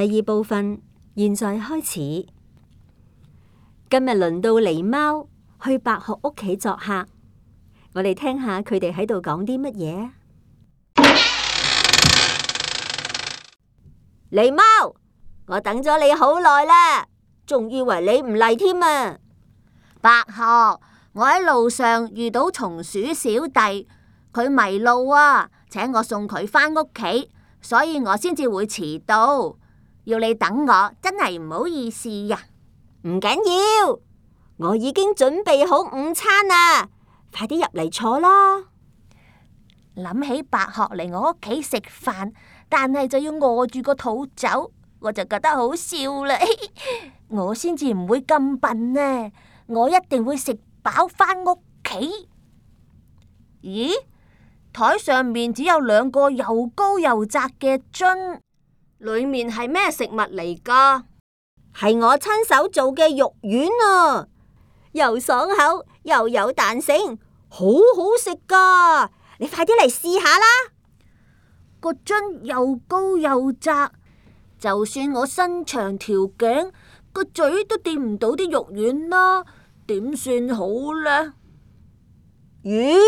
第二部分，現在開始。今日輪到狸貓去白鶴屋企作客，我哋聽下佢哋喺度講啲乜嘢。狸貓，我等咗你好耐啦，仲以為你唔嚟添啊！白鶴，我喺路上遇到松鼠小弟，佢迷路啊，請我送佢返屋企，所以我先至會遲到。要你等我，真係唔好意思呀。唔緊要，我已經準備好午餐啦，快啲入嚟坐啦。諗起白鶴嚟我屋企食飯，但係就要餓住個肚走，我就覺得好笑啦。我先至唔會咁笨呢，我一定會食飽返屋企。咦？台上面只有2個又高又窄嘅樽，裏面係咩食物嚟㗎？係我親手做嘅肉丸啊，又爽口又有彈性，好好食㗎。你快啲嚟試下啦！個樽又高又窄，就算我伸長條頸，個嘴都掂唔到啲肉丸啦，點算好呢？咦？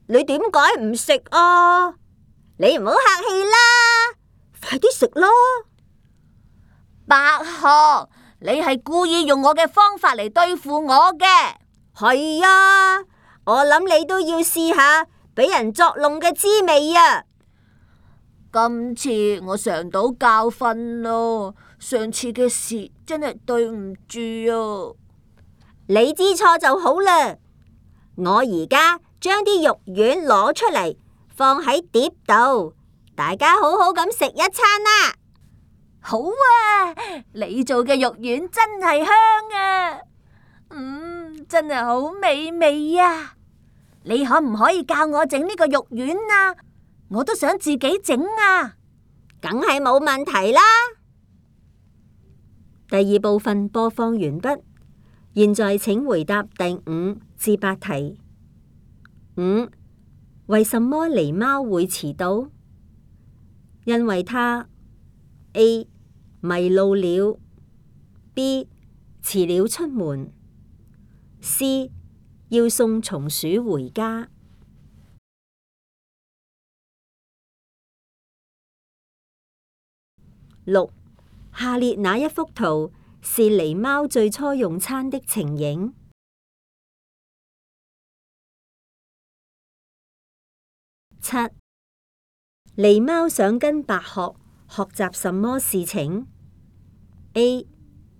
你點解唔食啊？你唔好客氣啦，快啲食啦！白鶴，你係故意用我嘅方法嚟對付我嘅。係啊，我諗你都要試下俾人作弄嘅滋味啊！今次我嘗到教訓咯，上次嘅事真係對唔住啊！你知錯就好啦，我而家將啲肉丸攞出嚟，放喺碟度，大家好好咁食一餐啦！好啊，你做嘅肉丸真係香啊！真係好美味啊！你可唔可以教我整呢個肉丸啊？我都想自己整啊！梗係冇問題啦。第二部分播放完畢，現在請回答第5至8題。5. 為什麼狸貓會遲到？因為它 A. 迷路了， B. 遲了出門， C. 要送松鼠回家。6. 下列哪一幅圖是狸貓最初用餐的情形？7. 狸貓想跟白鶴學習什麼事情？ A.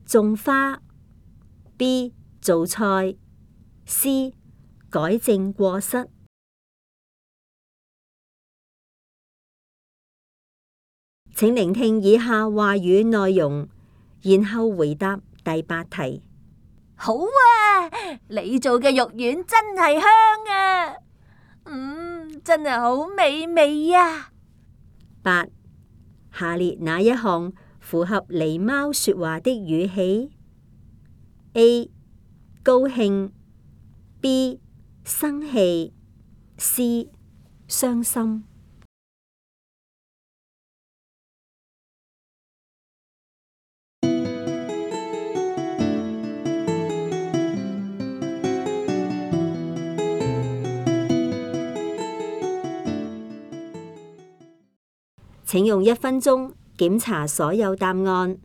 種花， B. 做菜， C. 改正過失。請聆聽以下話語內容，然後回答第8題。好啊，你做嘅肉丸真係香啊！真係好美味啊！8. 下列哪一項符合狸貓說話的語氣？ A. 高興， B. 生氣， C. 傷心。請用1分鐘檢查所有答案。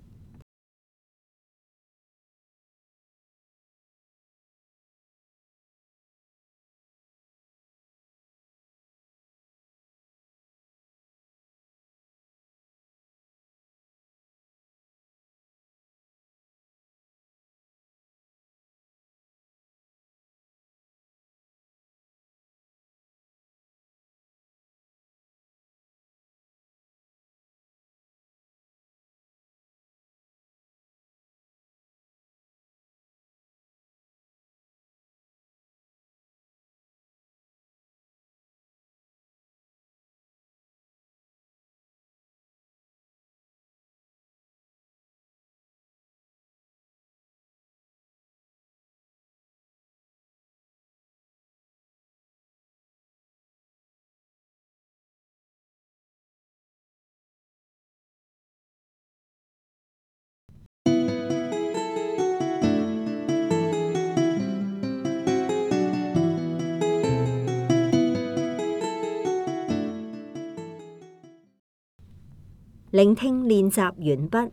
聆聽練習完畢。